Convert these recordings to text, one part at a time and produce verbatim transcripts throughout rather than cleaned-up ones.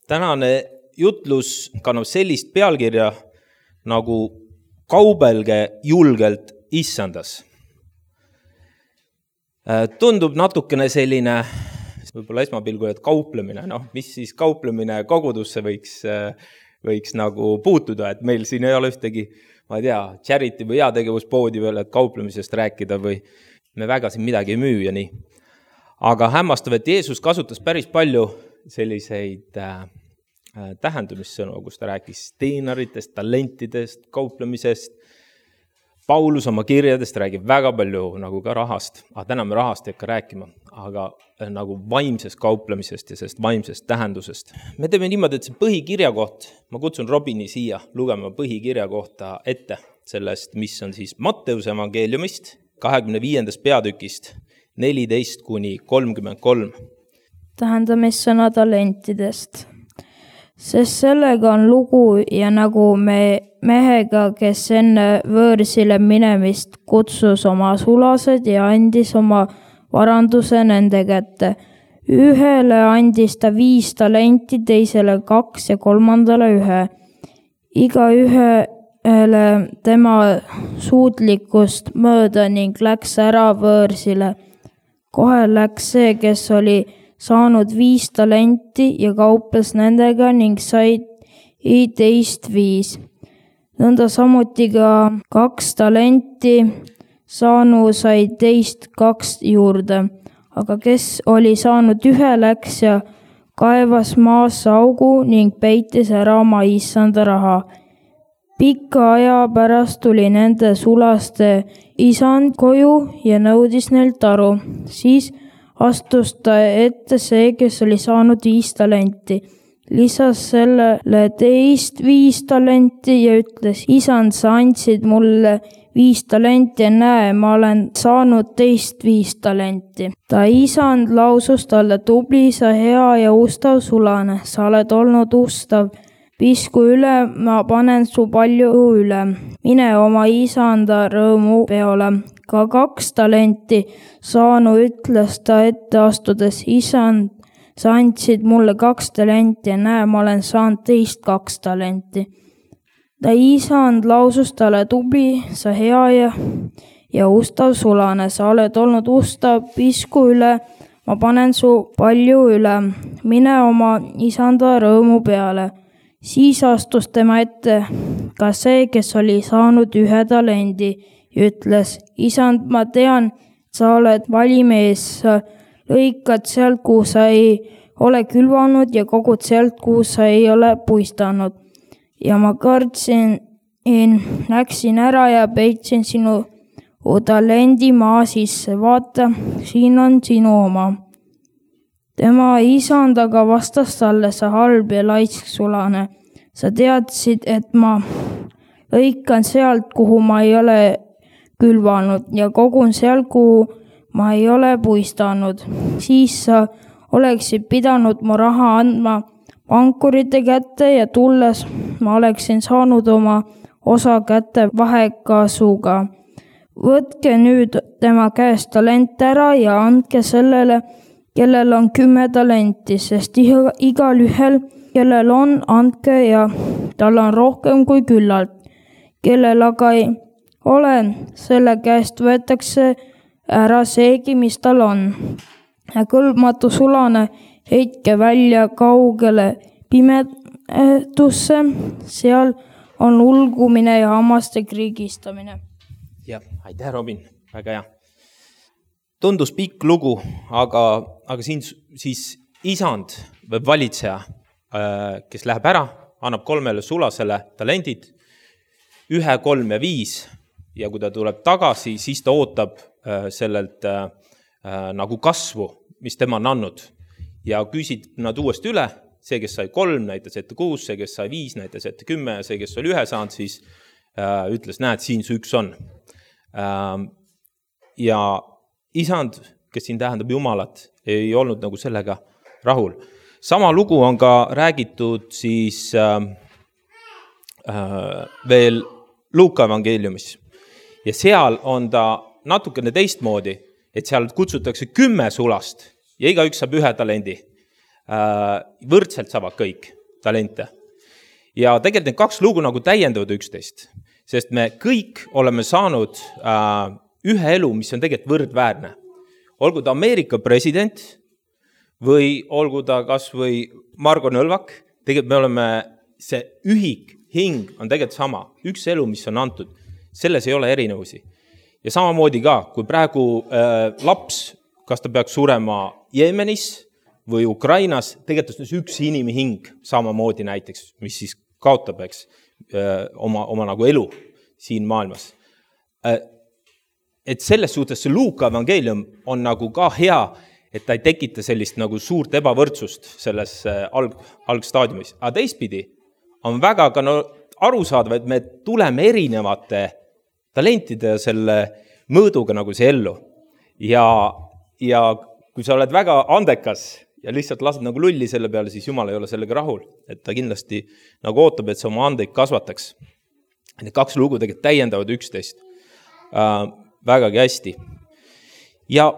Tänane jutlus kannab sellist pealkirja nagu kaubelge julgelt issandas. Tundub natukene selline, võib-olla esmapilgul, et kauplemine, noh, mis siis kauplemine kogudusse võiks, võiks nagu puutuda, et meil siin ei ole ühtegi, ma ei tea, charity või heategevuspoodi veel, et kauplemisest rääkida või me väga siin midagi ei müü ja nii. Aga hämmastav, et Jeesus kasutas päris palju selliseid äh, tähendumissõnu, kus ta rääkis teinaritest, talentidest, kauplemisest. Paulus oma kirjadest räägib väga palju nagu ka rahast, aga täna me rahast ei hakka rääkima, aga nagu vaimsest kauplemisest ja sellest vaimsest tähendusest. Me teeme niimoodi, et see põhikirja koht, ma kutsun Robini siia lugema põhikirja kohta ette sellest, mis on siis Matteuse evangeeliumist, kahekümne viiendast peatükist, neliteist kuni kolmkümmend kolm. Tähendamissõna talentidest. Sest sellega on lugu ja nagu me mehega, kes enne võõrsile minemist kutsus oma sulased ja andis oma varanduse nende kätte. Ühele andis ta viis talenti, teisele kaks ja kolmandale ühe. Iga ühele tema suutlikkust mööda ning läks ära võõrsile. Kohe läks see, kes oli saanud viis talenti ja kauples nendega ning sai teist viis. Nõnda samuti ka kaks talenti saanu sai teist kaks juurde, aga kes oli saanud ühe läks ja kaevas maasse augu ning peitis ära oma issanda raha. Pikka aja pärast tuli nende sulaste isand koju ja nõudis neilt aru. Siis astus ta ette see, kes oli saanud viis talenti. Lisas sellele teist viis talenti ja ütles, isand, sa andsid mulle viis talenti ja näe, ma olen saanud teist viis talenti. Ta isand lausus talle, tubli, sa hea ja ustav sulane, sa oled olnud ustav. Pisku üle, ma panen su palju üle. Mine oma isanda rõõmu peole. Ka kaks talenti saanu ütles ta ette astudes, isand, sa andsid mulle kaks talenti ja näe, ma olen saanud teist kaks talenti. Ta isand lausus talle, tubli, sa hea ja, ja ustav sulane, sa oled olnud ustav, pisku üle, ma panen su palju üle. Mine oma isanda rõõmu peale. Siis astus tema ette ka see, kes oli saanud ühe talendi ja ütles, isand, ma tean, sa oled valimees, sa lõikad sealt, kuhu sa ei ole külvanud ja kogud sealt, kuhu sa ei ole puistanud. Ja ma kartsin, läksin ära ja peitsin sinu talendi maa sisse, vaata, siin on sinu oma. Tema isand aga vastas talle, sa halb ja laisk sulane. Sa teadsid, et ma lõikan sealt, kuhu ma ei ole külvanud ja kogun sealt, kuhu ma ei ole puistanud. Siis sa oleksid pidanud mu raha andma pankurite kätte ja tulles ma oleksin saanud oma osa kätte vahekasuga. Võtke nüüd tema käest talent ära ja andke sellele, kellel on kümme talenti, sest igal ühel, kellel on, andke ja tal on rohkem kui küllalt. Kellel aga ei ole, selle käest võetakse ära seegi, mis tal on. Ja kõlbmatu sulane heitke välja kaugele pimedusse, seal on ulgumine ja hammaste kriigistamine. Jah, aitäh, Robin, väga hea. Tundus pikk lugu, aga, aga siin siis isand või valitseja, kes läheb ära, annab kolmele sulasele talendid, ühe, kolm ja viis, ja kui ta tuleb tagasi, siis ta ootab sellelt äh, nagu kasvu, mis tema on andnud. Ja küsid nad uuesti üle, see, kes sai kolm, näitas ette kuus, see, kes sai viis, näitas ette kümme, ja see, kes oli ühe saanud, siis äh, ütles, näed, siin see üks on. Äh, ja isand, kes siin tähendab Jumalat, ei olnud nagu sellega rahul. Sama lugu on ka räägitud siis äh, äh, veel Luuka evangeeliumis. Ja seal on ta natukene teistmoodi, et seal kutsutakse kümme sulast ja igaüks saab ühe talendi. võrdselt saavad kõik talente. Ja tegelikult need kaks lugu nagu täiendavad üksteist, sest me kõik oleme saanud ühe elu, mis on tegelikult võrdväärne. Olgu ta Ameerika president või olgu ta kas või Margo Nõlvak, tegelikult me oleme, see ühik, hing on tegelikult sama. Üks elu, mis on antud, selles ei ole erinevusi. Ja samamoodi ka, kui praegu äh, laps, kas ta peaks surema Jeemenis või Ukrainas, tegelikult on üks inimhing samamoodi näiteks, mis siis kaotab, eks, äh, oma, oma nagu elu siin maailmas. Äh, et selles suhtes see Luuka evangeelium on nagu ka hea, et ta ei tekita sellist nagu suurt ebavõrdsust selles alg, algstaadiumis. Aga teistpidi on väga ka no, arusaadav, et me tuleme erinevate talentide ja selle mõõduga nagu see ellu. Ja, ja kui sa oled väga andekas ja lihtsalt lased nagu lulli selle peale, siis Jumal ei ole sellega rahul. Et ta kindlasti nagu ootab, et sa oma andeid kasvataks. Need kaks lugu tegelikult täiendavad üksteist äh, vägagi hästi. Ja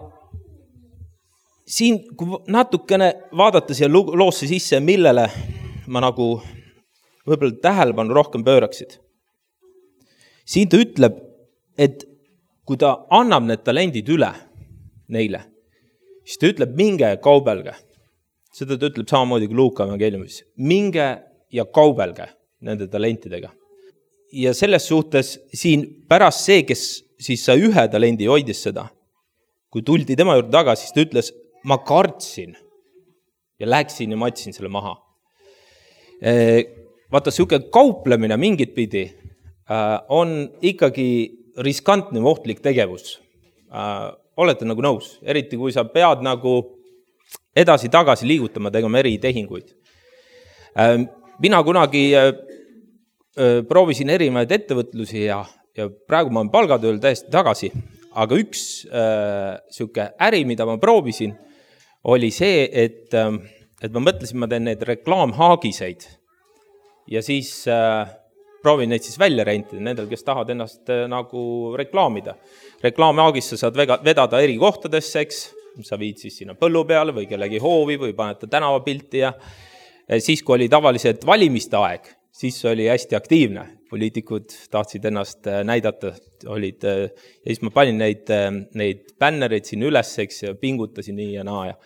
siin, kui natukene vaadata siia loosse sisse, millele ma nagu võib-olla tähelepanu rohkem pööraksid. Siin ta ütleb, et kui ta annab need talendid üle neile, siis ta ütleb, minge ja kaubelge. Seda ta ütleb samamoodi kui Luuka evangeeliumis. Minge ja kaubelge nende talentidega. Ja selles suhtes siin pärast see, kes siis sai ühe talendi hoidis seda, kui tuldi tema juurde tagasi, siis ta ütles, ma kartsin ja läksin ja matsin selle maha. Vaata, siuke kauplemine mingit pidi on ikkagi riskantne ohtlik tegevus. Olete nagu nõus, eriti kui sa pead nagu edasi-tagasi liigutama, tegema eri tehinguid. Mina kunagi proovisin erinevaid ettevõtlusi ja, ja praegu ma olen palgatööl täiesti tagasi, aga üks äh, siuke äri, mida ma proovisin, oli see, et, et ma mõtlesin, ma teen need reklaamhaagiseid ja siis äh, proovin neid siis välja rentida nendel, kes tahavad ennast äh, nagu reklaamida. Reklaamhaagis sa saad vega, vedada eri kohtadesse, eks, sa viid siis sinna põllu peale või kellegi hoovi või panete tänavapilti ja siis, kui oli tavaliselt valimiste aeg, siis oli hästi aktiivne. Poliitikud tahtsid ennast näidata, olid, ja siis ma panin neid, neid bännereid siin ülesseks ja pingutasin nii ja naa. Ja,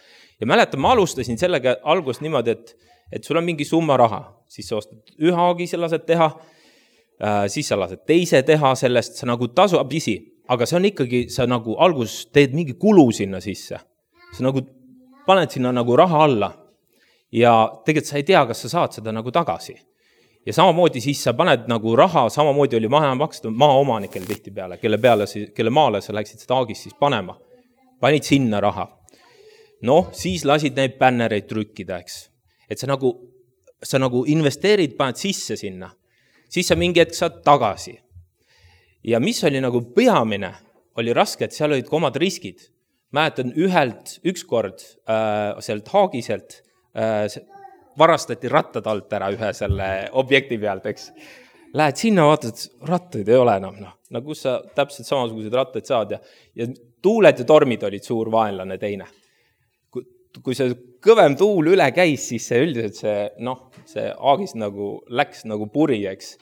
ja mäletan, ma alustasin sellega algust niimoodi, et, et sul on mingi summa raha, siis sa ostad ühe haagi, sa lased teha, siis sa lased teise teha sellest, sa nagu tasub isi, aga see on ikkagi, sa nagu algus teed mingi kulu sinna sisse. Sa nagu paned sinna nagu raha alla ja tegelikult sa ei tea, kas sa saad seda nagu tagasi. Ja samamoodi siis sa paned nagu raha, samamoodi oli maha makstud maaomanikel tihti peale, kelle, peale, kelle maale sa läksid seda haagist siis panema. Panid sinna raha. Noh, siis lasid neid bännereid trükkida, eks. Et sa nagu, sa nagu investeerid, paned sisse sinna. Siis sa mingi hetk saad tagasi. Ja mis oli nagu peamine, oli raske, et seal olid ka omad riskid. Mäletan ühelt, ükskord äh, sealt haagiselt äh, varastati rattad alt ära ühe selle objekti pealt, eks. Lähed sinna, vaatad, rattaid ei ole enam, noh. No kus sa täpselt samasugused rattaid saad ja, ja tuuled ja tormid olid suur vaenlane teine. Kui, kui see kõvem tuul üle käis, siis see üldiselt see, noh, see aagis nagu läks nagu puri, eks.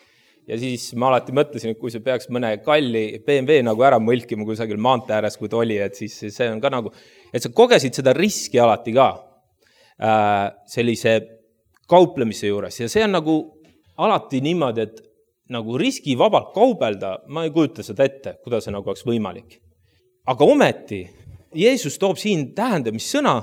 Ja siis ma alati mõtlesin, et kui see peaks mõne kalli B M W nagu ära mõlkima kusagil maantee ääres, kui ta oli, et siis see on ka nagu, et sa kogesid seda riski alati ka äh, sellise kauplemise juures ja see on nagu alati niimoodi, et nagu riskivabalt kaubelda, ma ei kujuta seda ette, kuidas see nagu oleks võimalik. Aga ometi, Jeesus toob siin tähendamissõna,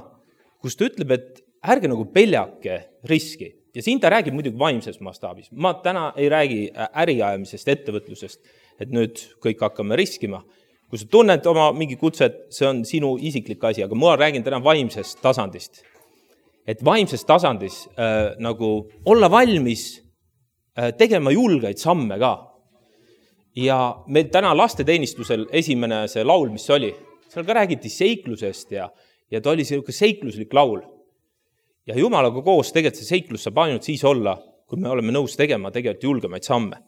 kus ta ütleb, et ärge nagu peljake riski. Ja siin ta räägib muidugi vaimses mastaabis. Ma täna ei räägi äriajamisest, ettevõtlusest, et nüüd kõik hakkame riskima. Kui sa tunned oma mingi kutset, see on sinu isiklik asi, aga ma räägin täna vaimsest tasandist. Et vaimses tasandis äh, nagu olla valmis äh, tegema julgeid samme ka. Ja meil täna lasteteenistusel esimene see laul, mis oli, seal ka räägiti seiklusest ja, ja ta oli selline seikluslik laul. Ja Jumalaga koos tegelikult see seiklus saab ainult siis olla, kui me oleme nõus tegema tegelikult julgemaid samme.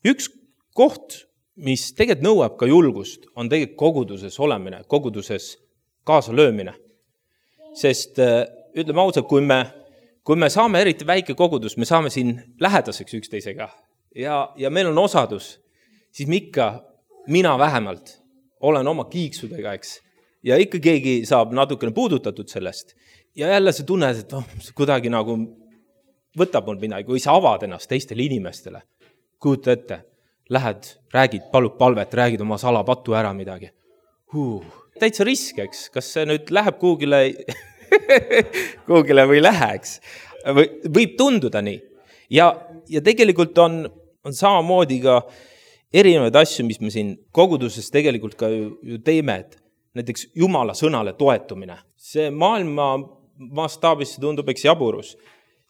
Üks koht, mis tegelikult nõuab ka julgust, on tegelikult koguduses olemine, koguduses kaasa löömine. Sest äh, ütleme ausalt, kui me, kui me saame eriti väike kogudus, me saame siin lähedaseks üksteisega ja, ja meil on osadus, siis ikka mina vähemalt olen oma kiiksudega, eks. Ja ikka keegi saab natukene puudutatud sellest. Ja jälle see tunne, et oh, see kuidagi nagu võtab mul midagi, kui sa avad ennast teistele inimestele. Kujuta ette, lähed, räägid, palud palvet, räägid oma salapattu ära midagi. Huh. Täitsa risk, eks. Kas see nüüd läheb kuhugile, kuhugile või läheks? Või, võib tunduda nii. Ja, ja tegelikult on, on samamoodi ka erinevaid asju, mis me siin koguduses tegelikult ka ju, ju teeme, et näiteks Jumala sõnale toetumine. See maailma mastaabis tundub eks jaburus.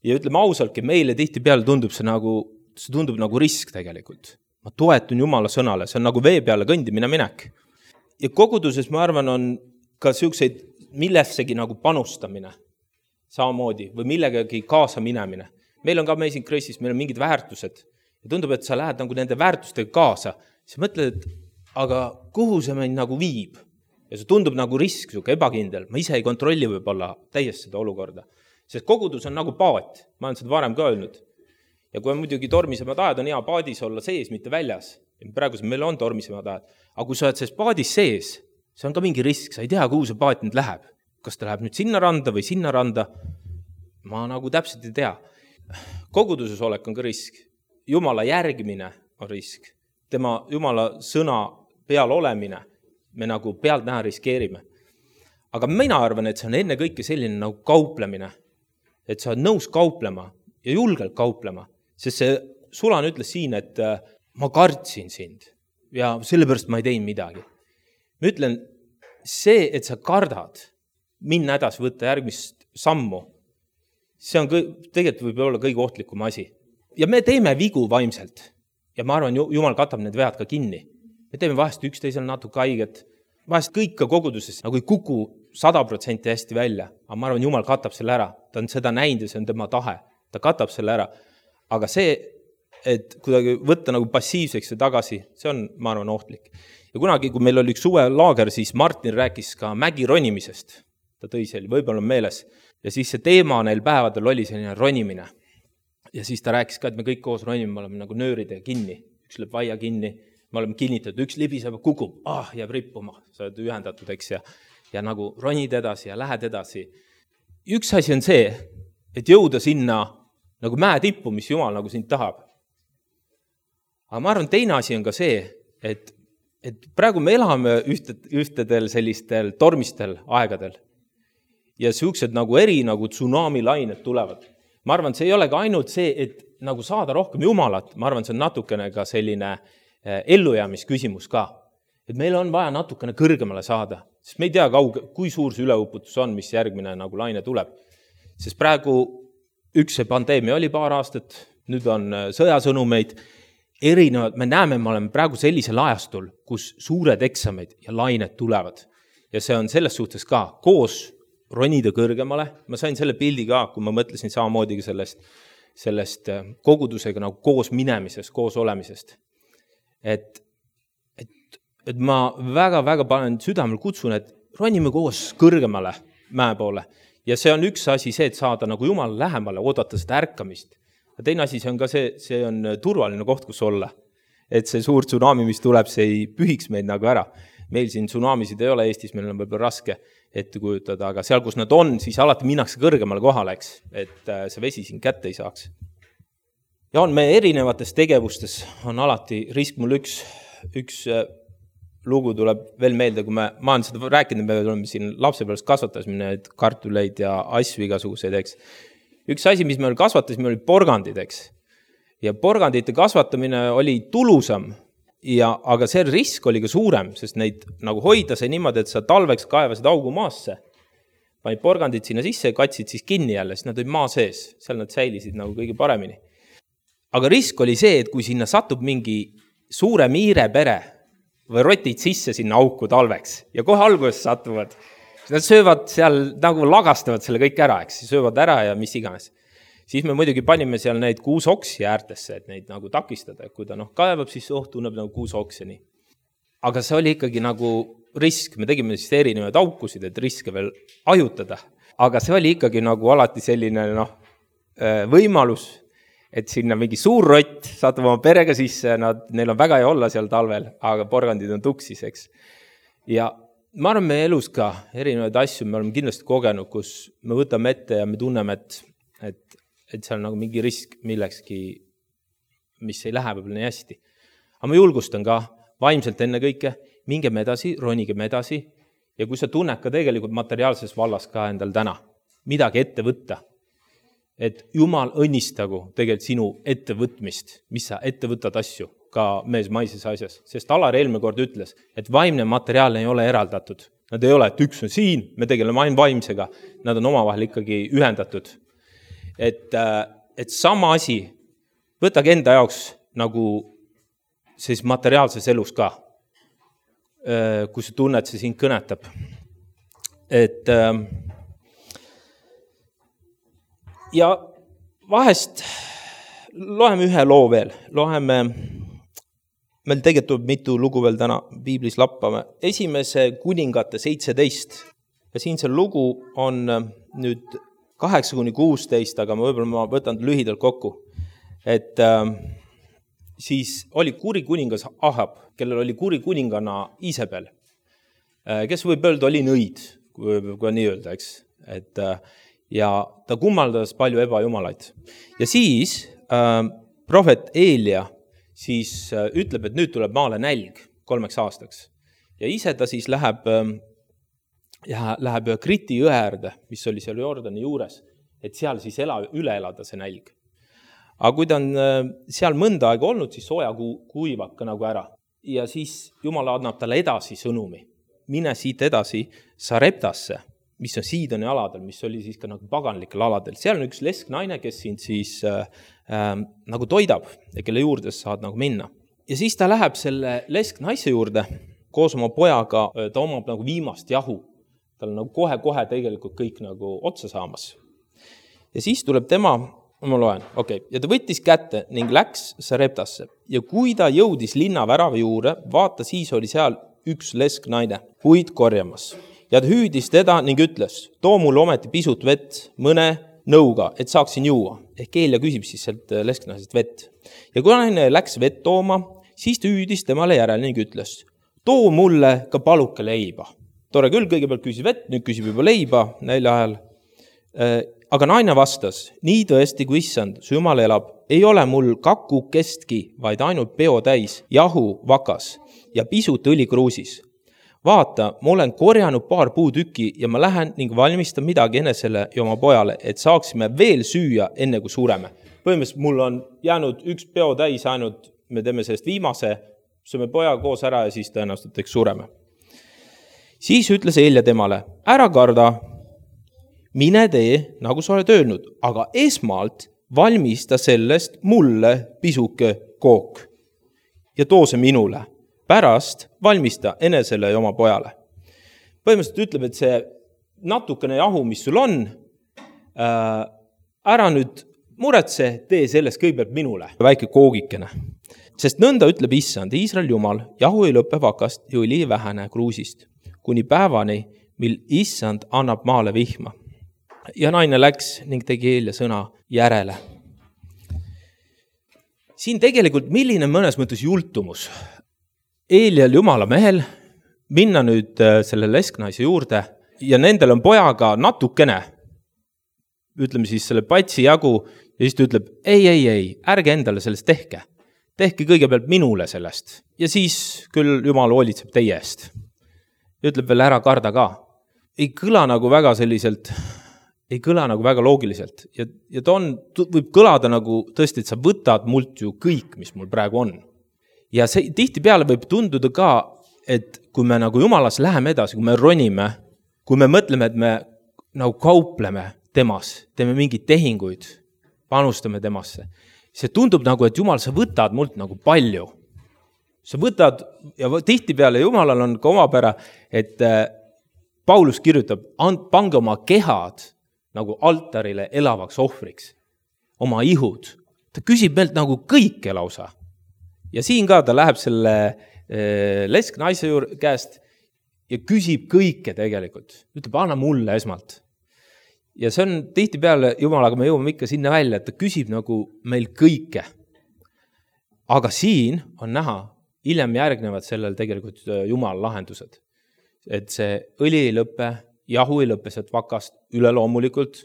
Ja ütleme ausaltki, meile tihti peale tundub see nagu, see tundub nagu risk tegelikult. Ma toetun Jumala sõnale, see on nagu vee peale kõndimine minek. Ja koguduses, ma arvan, on ka selliseid millessegi nagu panustamine samamoodi või millegagi kaasa minemine. Meil on ka Amazing Grace'is, meil on mingid väärtused. Ja tundub, et sa lähed nagu nende väärtustega kaasa. Sa mõtled, et aga kuhu see meid nagu viib? Ja see tundub nagu risk, suke ebakindel. Ma ise ei kontrolli võib-olla täiesti seda olukorda. Sest kogudus on nagu paat. Ma olen seda varem ka öelnud. Ja kui on muidugi tormisemad ajad, on hea paadis olla sees, mitte väljas. Ja praegu meil on tormisemad ajad. Aga kui sa oled selles paadis sees, see on ka mingi risk. Sa ei tea, kuhu see paat nüüd läheb. Kas ta läheb nüüd sinna randa või sinna randa? Ma nagu täpselt ei tea. Koguduses olek on ka risk. Jumala järgimine on risk. Tema Jumala sõna peal olemine, me nagu pealt näha riskeerime. Aga mina arvan, et see on enne kõike selline nagu kauplemine. Et sa oled nõus kauplema ja julgelt kauplema. Sest see Sulan ütles siin, et ma kartsin sind ja sellepärast ma ei teinud midagi. Ma ütlen, see, et sa kardad minna edasi võtta järgmist sammu, see on kõi, tegelikult võib olla kõige ohtlikum asi. Ja me teeme vigu vaimselt. Ja ma arvan, Jumal katab need vead ka kinni. Me teeme vahest üksteisel natuke haiget. Vahest kõik ka koguduses nagu ei kuku sada protsenti hästi välja. Aga ma arvan, Jumal katab selle ära. Ta on seda näinud ja see on tema tahe. Ta katab selle ära. Aga see, et kuidagi võtta nagu passiivseks ja tagasi, see on, ma arvan, ohtlik. Ja kunagi, kui meil oli üks suve laager, siis Martin rääkis ka mägi ronimisest. Ta tõi selle, võib-olla on meeles. Ja siis see teema neil päevadel oli selline ronimine. Ja siis ta rääkis ka, et me kõik koos ronime, me oleme nagu nööridega kinni. Üks lööb vaia kinni, me oleme kinnitatud, üks libiseb, kukub, ah, jääb rippuma, sa oled ühendatud, eks, ja, ja nagu ronid edasi ja lähed edasi. Üks asi on see, et jõuda sinna nagu mäe tippu, mis Jumal nagu sind tahab. Aga ma arvan, teine asi on ka see, et, et praegu me elame ühted, ühtedel sellistel tormistel aegadel. Ja siuksed nagu eri nagu tsunami lained tulevad. Ma arvan, see ei ole ka ainult see, et nagu saada rohkem Jumalat. Ma arvan, see on natukene ka selline ellujäämisküsimus ka. Et meil on vaja natukene kõrgemale saada. Sest me ei tea, kauge, kui suur see üleuputus on, mis järgmine nagu laine tuleb. Sest praegu üks see pandeemia oli paar aastat, nüüd on sõjasõnumeid erinevad. Me näeme, me oleme praegu sellisel ajastul, kus suured eksameid ja lained tulevad. Ja see on selles suhtes ka koos ronida kõrgemale. Ma sain selle pildi ka, kui ma mõtlesin samamoodi sellest, sellest kogudusega nagu koos minemisest, koos olemisest. Et, et, et ma väga-väga panen südamel kutsun, et ronime koos kõrgemale mäe poole. Ja see on üks asi see, et saada nagu Jumala lähemale, oodata seda ärkamist. Ja teine asi, see on ka see, see on turvaline koht, kus olla. Et see suur tsunami, mis tuleb, see ei pühiks meid nagu ära. Meil siin tsunamisid ei ole Eestis, meil on võib-olla raske ette kujutada, aga seal, kus nad on, siis alati minnakse kõrgemale kohale, eks, et see vesi siin kätte ei saaks. Ja on me erinevates tegevustes, on alati risk. Mul üks, üks lugu tuleb veel meelde, kui me, ma olen seda rääkinud, me oleme siin lapsepealast kasvatasime kartuleid ja asju igasuguseid, eks. Üks asi, mis me kasvatasime, oli porgandid, eks. Ja porgandite kasvatamine oli tulusam. Ja, aga see risk oli ka suurem, sest neid nagu hoida see niimoodi, et sa talveks kaevasid augu maasse, panid porgandid sinna sisse ja katsid siis kinni jälle, siis nad olid maa sees, seal nad säilisid nagu kõige paremini. Aga risk oli see, et kui sinna satub mingi suure miire pere või rotid sisse sinna auku talveks ja kohe alguses satuvad, siis nad söövad seal nagu lagastavad selle kõik ära, eks, söövad ära ja mis iganes. Siis me muidugi panime seal neid kuusoksi äärtesse, et neid nagu takistada. Kui ta noh, kaevab, siis oh, tunneb nagu kuusokseni. Aga see oli ikkagi nagu risk. Me tegime siis erinevaid aukusid, et riske veel ajutada. aga see oli ikkagi nagu alati selline noh, võimalus, et sinna mingi suur rott satub oma perega sisse, nad, neil on väga hea olla seal talvel, aga porgandid on tuksis, eks. Ja ma arvan, meie elus ka erinevaid asju, me oleme kindlasti kogenud, kus me võtame ette ja me tunneme, et, et, et seal on nagu mingi risk millekski, mis ei lähe võib-olla nii hästi. Aga ma julgustan ka vaimselt enne kõike, mingem edasi, ronigem edasi ja kui sa tunned ka tegelikult materiaalses vallas ka endal täna midagi ette võtta, et Jumal õnnistagu tegelikult sinu ettevõtmist, mis sa ette võtad asju, ka mees maises asjas. Sest Alar eelmine kord ütles, et vaimne materiaal ei ole eraldatud. Nad ei ole, et üks on siin, me tegeleme ainult vaimsega. Nad on omavahel ikkagi ühendatud. Et, et sama asi, võtage enda jaoks nagu siis materiaalses elus ka, kui sa tunned, see sind kõnetab. Et ja vahest loeme ühe loo veel, loeme, meil tegelikult mitu lugu veel täna piiblis lappame, esimese kuningate seitseteist ja siin see lugu on nüüd kaheksa kuni kuusteist, aga ma võib-olla ma võtan lühidalt kokku, et äh, siis oli kuri kuningas Ahab, kellel oli kuri kuningana Isabel, äh, kes võib öelda oli nõid, kui, kui nii öelda, eks, et äh, ja ta kummaldas palju ebajumalaid. Ja siis äh, prohvet Eelia siis äh, ütleb, et nüüd tuleb maale nälg kolmeks aastaks. Ja ise ta siis läheb, äh, ja läheb Kriti jõe äärde, mis oli seal Jordani juures, et seal siis ela, üle elada see nälg. Aga kui ta on äh, seal mõnda aega olnud, siis sooja ku, kuivab ka nagu ära. Ja siis Jumal annab talle edasi sõnumi. Mine siit edasi Sareptasse, mis on Siidoni aladel, mis oli siis ka nagu paganlikel aladel. Seal on üks lesknaine, kes sind siis äh, äh, nagu toidab ja kelle juurde saad nagu minna. Ja siis ta läheb selle lesknaise juurde koos oma pojaga, ta omab nagu viimast jahu. Tal on nagu kohe-kohe tegelikult kõik nagu otsa saamas. Ja siis tuleb tema, ma loen, okei, okay. Ja ta võttis kätte ning läks Sareptasse. Ja kui ta jõudis linna värava juurde, vaata siis oli seal üks lesknaine puid korjamas. Ja ta hüüdis teda ning ütles, too mulle ometi pisut vett mõne nõuga, et saaksin juua. Ehk Eelia küsib siis sealt lesknaisest vett. Ja kui naine läks vett tooma, siis ta hüüdis temale järele ning ütles, too mulle ka paluke leiba. Tore küll, kõigepealt küsis vett, nüüd küsib juba leiba nälja ajal. Aga naine vastas, nii tõesti kui issand, su Jumal elab, ei ole mul kaku kestki, vaid ainult peo täis, jahu vakas ja pisut õli kruusis. Vaata, ma olen korjanud paar puutükki ja ma lähen ning valmistan midagi enesele ja oma pojale, et saaksime veel süüa enne kui sureme. Põhimõtteliselt mul on jäänud üks peo täis ainult, me teeme sellest viimase, sööme poja koos ära ja siis tõenäoliselt eks sureme. Siis ütles Eelia temale, ära karda, mine tee, nagu sa oled öelnud, aga esmalt valmista sellest mulle pisuke kook ja too see minule. Pärast valmista enesele ja oma pojale. Põhimõtteliselt ütleb, et see natukene jahu, mis sul on, äh, ära nüüd muretse, tee sellest kõigepealt minule. Väike koogikene. Sest nõnda ütleb issand, Iisrael Jumal, jahu ei lõppe vakast ja õli vähene kruusist, kuni päevani, mil issand annab maale vihma. Ja naine läks ning tegi Eelia sõna järele. Siin tegelikult milline mõnes mõttes jultumus Eelial Jumala mehel minna nüüd selle lesknaise juurde ja nendel on pojaga natukene, ütleme siis selle patsi jagu ja siis ta ütleb, ei, ei, ei, ärge endale sellest tehke. Tehke kõigepealt minule sellest ja siis küll Jumal hoolitseb teie eest. Ja ütleb veel ära karda ka. Ei kõla nagu väga selliselt, ei kõla nagu väga loogiliselt ja, ja ta on, võib kõlada nagu tõesti, et sa võtad mult ju kõik, mis mul praegu on. Ja see tihti peale võib tunduda ka, et kui me nagu Jumalas läheme edasi, kui me ronime, kui me mõtleme, et me nagu kaupleme temas, teeme mingeid tehinguid, panustame temasse, see tundub nagu, et Jumal, sa võtad mult nagu palju. Sa võtad, ja tihti peale Jumalal on ka omapära, et Paulus kirjutab, pange oma kehad nagu altarile elavaks ohvriks, oma ihud. Ta küsib meilt nagu kõike lausa. Ja siin ka ta läheb selle eh, lesknaise juurde käest ja küsib kõike tegelikult. Ütleb, anna mulle esmalt. Ja see on tihtipeale Jumalaga me jõuame ikka sinna välja, et ta küsib nagu meil kõike. Aga siin on näha, hiljem järgnevad sellel tegelikult Jumala lahendused. Et see õli ei lõppe, jahu ei lõppe sealt vakast, üleloomulikult,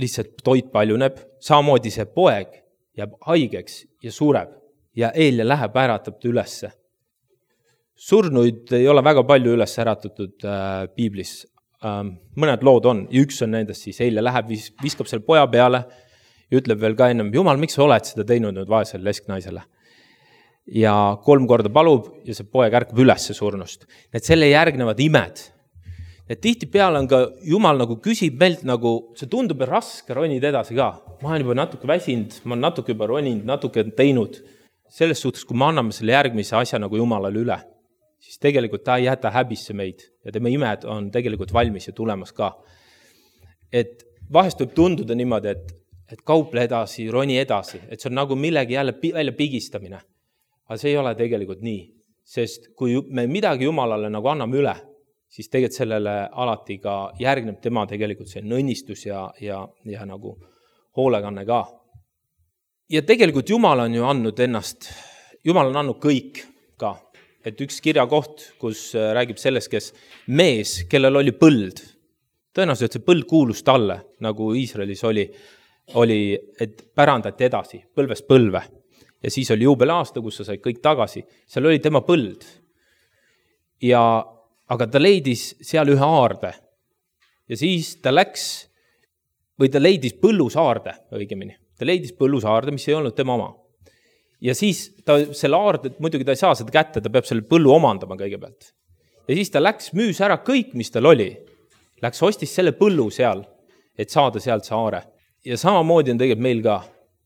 lihtsalt toit paljuneb, samamoodi see poeg jääb haigeks ja sureb ja Eelia läheb äratab ta ülesse. Surnuid ei ole väga palju üles äratatud äh, piiblis. Ähm, mõned lood on ja üks on nendest siis Eelia läheb, vis, viskab selle poja peale ja ütleb veel ka ennem, Jumal, miks sa oled seda teinud nüüd vaesele lesknaisele? Ja kolm korda palub ja see poeg ärkab ülesse surnust. Need selle järgnevad imed. Et tihtipeale on ka Jumal nagu küsib meilt nagu, see tundub raske ronida edasi ka. Ma olen juba natuke väsinud, ma olen natuke juba roninud, natuke teinud. Selles suhtes, kui me anname selle järgmise asja nagu Jumalale üle, siis tegelikult ta ei jäta häbisse meid ja tema imed on tegelikult valmis ja tulemas ka. Et vahest võib tunduda niimoodi, et, et kauple edasi, roni edasi, et see on nagu millegi jälle välja pigistamine. Aga see ei ole tegelikult nii, sest kui me midagi Jumalale nagu anname üle, siis tegelikult sellele alati ka järgneb tema tegelikult see õnnistus ja, ja, ja nagu hoolekanne ka. Ja tegelikult Jumal on ju andnud ennast, Jumal on andnud kõik ka. Et üks kirjakoht, kus räägib sellest, kes mees, kellel oli põld. Tõenäoliselt see põld kuulus talle, nagu Iisraelis oli, oli, et pärandati edasi, põlvest põlve. Ja siis oli juubelaasta, kus sa said kõik tagasi. Seal oli tema põld. Ja, aga ta leidis seal ühe aarde. Ja siis ta läks, või ta leidis põllusaarde, õigemini. Ta leidis põllusaarde, mis ei olnud tema oma. Ja siis ta selle aarde, muidugi ta ei saa seda kätte, ta peab selle põllu omandama kõigepealt. Ja siis ta läks, müüs ära kõik, mis tal oli. Läks ostis selle põllu seal, et saada sealt saare. Ja samamoodi on tegelikult meil ka.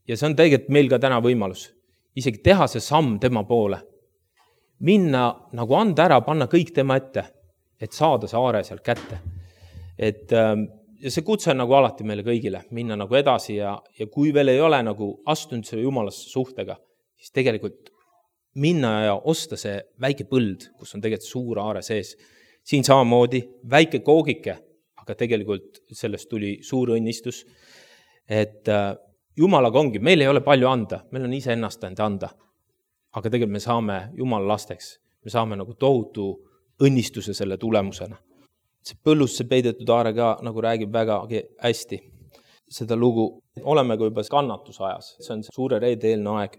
Ja see on tegelikult meil ka täna võimalus. Isegi teha see samm tema poole. Minna, nagu anda ära, panna kõik tema ette, et saada saare sealt kätte. Et, ja see kutse on nagu alati meile kõigile, minna nagu edasi ja, ja kui veel ei ole nagu astunud selle Jumalasse suhtega, siis tegelikult minna ja osta see väike põld, kus on tegelikult suur aare sees. Siin samamoodi väike koogike, aga tegelikult sellest tuli suur õnnistus. Et Jumalaga ongi, meil ei ole palju anda, meil on ise ennast enda anda. Aga tegelikult me saame Jumala lasteks, me saame nagu tohutu õnnistuse selle tulemusena. See põllusse peidetud aare ka nagu räägib väga hästi seda lugu. Oleme kui juba kannatusajas, see on suure reede eelne aeg.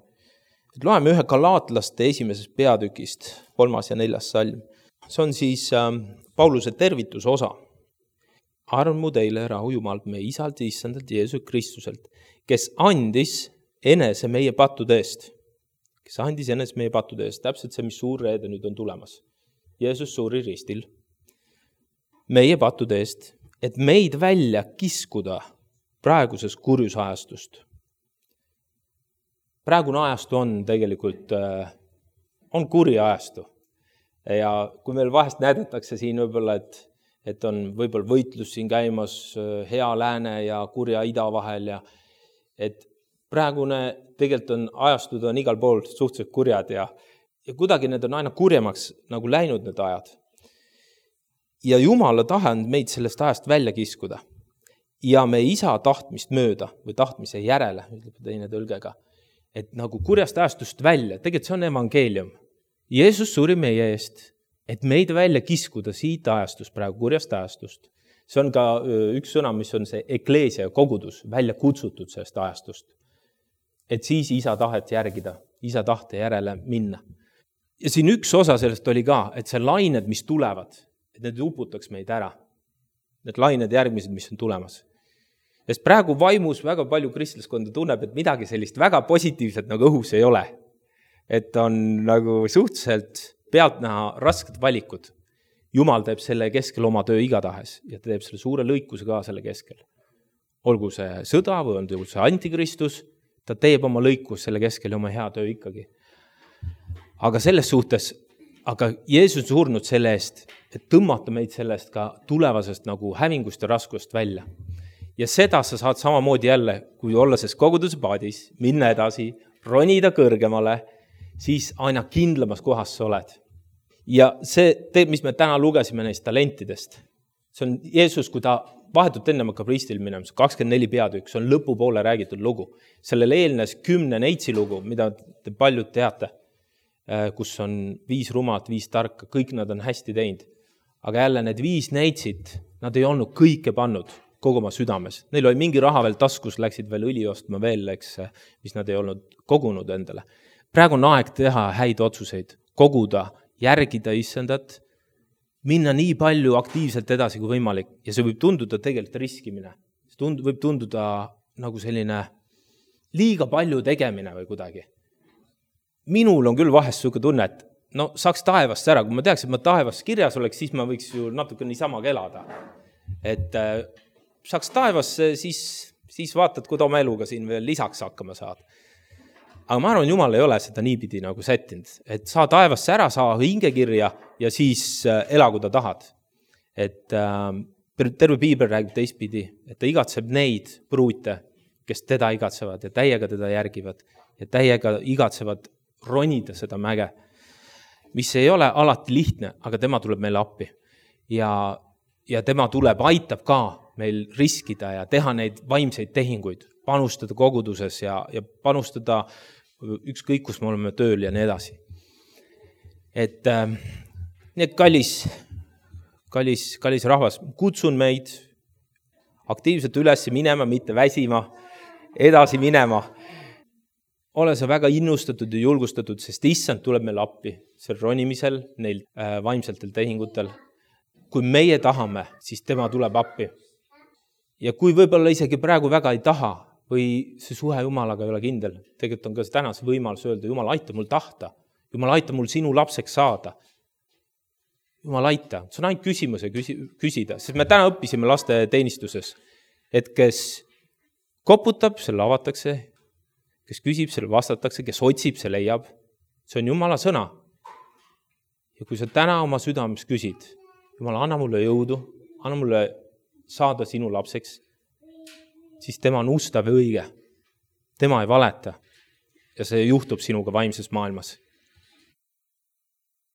Et loeme ühe Galaatlaste esimesest peatükist, kolmas ja neljas salm. See on siis äh, Pauluse tervituse osa. Armu teile rahu Jumalt meie isalt ja issandalt Jeesus Kristuselt, kes andis enese meie pattude eest. Kes andis enese meie pattude eest. Täpselt see, mis suur reede nüüd on tulemas. Jeesus suri ristil meie pattude eest, et meid välja kiskuda praegusest kurjusajastust. Praegune ajastu on tegelikult, on kuri ajastu. Ja kui meil vahest näidatakse siin võib-olla, et, et on võib-olla võitlus siin käimas hea lääne ja kurja ida vahel, ja et praegune tegelikult on ajastud on igal pool suhteliselt kurjad ja, ja kuidagi need on aina kurjemaks nagu läinud need ajad. Ja Jumala tahe on meid sellest ajast välja kiskuda. Ja me isa tahtmist mööda või tahtmise järele, ütleb teine tõlgega, et nagu kurjast ajastust välja, tegelikult see on evangeelium. Jeesus suri meie eest, et meid välja kiskuda siit ajastust, praegu kurjast ajastust. See on ka üks sõna, mis on see ekleesia ja kogudus, välja kutsutud sellest ajastust. Et siis isa tahet järgida, isa tahte järele minna. Ja siin üks osa sellest oli ka, et see lained, mis tulevad, et need uputaks meid ära. Need lained järgmised, mis on tulemas. Sest praegu vaimus väga palju kristlaskonda tunneb, et midagi sellist väga positiivset nagu õhus ei ole. Et on nagu suhteliselt pealtnäha rasked valikud. Jumal teeb selle keskel oma töö igatahes ja ta teeb selle suure lõikuse ka selle keskel. Olgu see sõda või on see antikristus, ta teeb oma lõikus selle keskel ja oma hea töö ikkagi. Aga selles suhtes, aga Jeesus on surnud selle eest, et tõmmata meid sellest ka tulevasest nagu hävingust ja raskust välja. Ja seda sa saad samamoodi jälle, kui olla selles koguduse paadis, minna edasi, ronida kõrgemale, siis aina kindlamas kohas sa oled. Ja see, mis me täna lugesime neist talentidest, see on Jeesus, kui ta vahetult enne hakkab ristil minema, kakskümmend neli peatükk, see on lõpupoole räägitud lugu. Sellele eelnes kümne neitsi lugu, mida te paljud teate, kus on viis rumat, viis tarka, kõik nad on hästi teinud. Aga jälle need viis neitsid, nad ei olnud kõike pannud kogu oma südames. Neil oli mingi raha veel taskus, läksid veel õli ostma veel, eks, mis nad ei olnud kogunud endale. Praegu on aeg teha häid otsuseid, koguda, järgida issandat, minna nii palju aktiivselt edasi kui võimalik ja see võib tunduda tegelikult riskimine. See tund, võib tunduda nagu selline liiga palju tegemine või kuidagi. Minul on küll vahest selline tunne, et no saaks taevast ära, kui ma teaks, et ma taevast kirjas oleks, siis ma võiks ju natuke niisama elada. Et äh, saaks taevasse, siis, siis vaatad, kui oma eluga siin veel lisaks hakkama saad. Aga ma arvan, Jumal ei ole seda niipidi nagu sättinud, et saa taevasse ära, saa hingekirja ja siis ela, kui ta tahad. Et äh, terve Piibel räägib teistpidi, et ta igatseb neid pruute, kes teda igatsevad ja täiega teda järgivad ja täiega igatsevad ronida seda mäge, mis ei ole alati lihtne, aga tema tuleb meile appi. Ja, ja tema tuleb, aitab ka meil riskida ja teha neid vaimseid tehinguid, panustada koguduses ja, ja panustada ükskõik, kus me oleme tööl ja nii edasi. Et äh, need kallis, kallis, kallis rahvas, kutsun meid aktiivselt üles minema, mitte väsima, edasi minema. Ole sa väga innustatud ja julgustatud, sest issand tuleb meil appi sel ronimisel, neil äh, vaimseltel tehingutel. Kui meie tahame, siis tema tuleb appi. Ja kui võib-olla isegi praegu väga ei taha, või see suhe Jumalaga ei ole kindel. Tegelikult on ka täna see võimalus öelda, Jumal, aita mul tahta. Jumal, aita mul sinu lapseks saada. Jumal, aita. See on ainult küsimuse küsida. Sest me täna õppisime laste teenistuses, et kes koputab, selle avatakse, kes küsib, selle vastatakse, kes otsib, see leiab. See on Jumala sõna. Ja kui sa täna oma südames küsid, Jumal, anna mulle jõudu, anna mulle saada sinu lapseks, siis tema on ustav ja õige. Tema ei valeta ja see juhtub sinuga vaimses maailmas.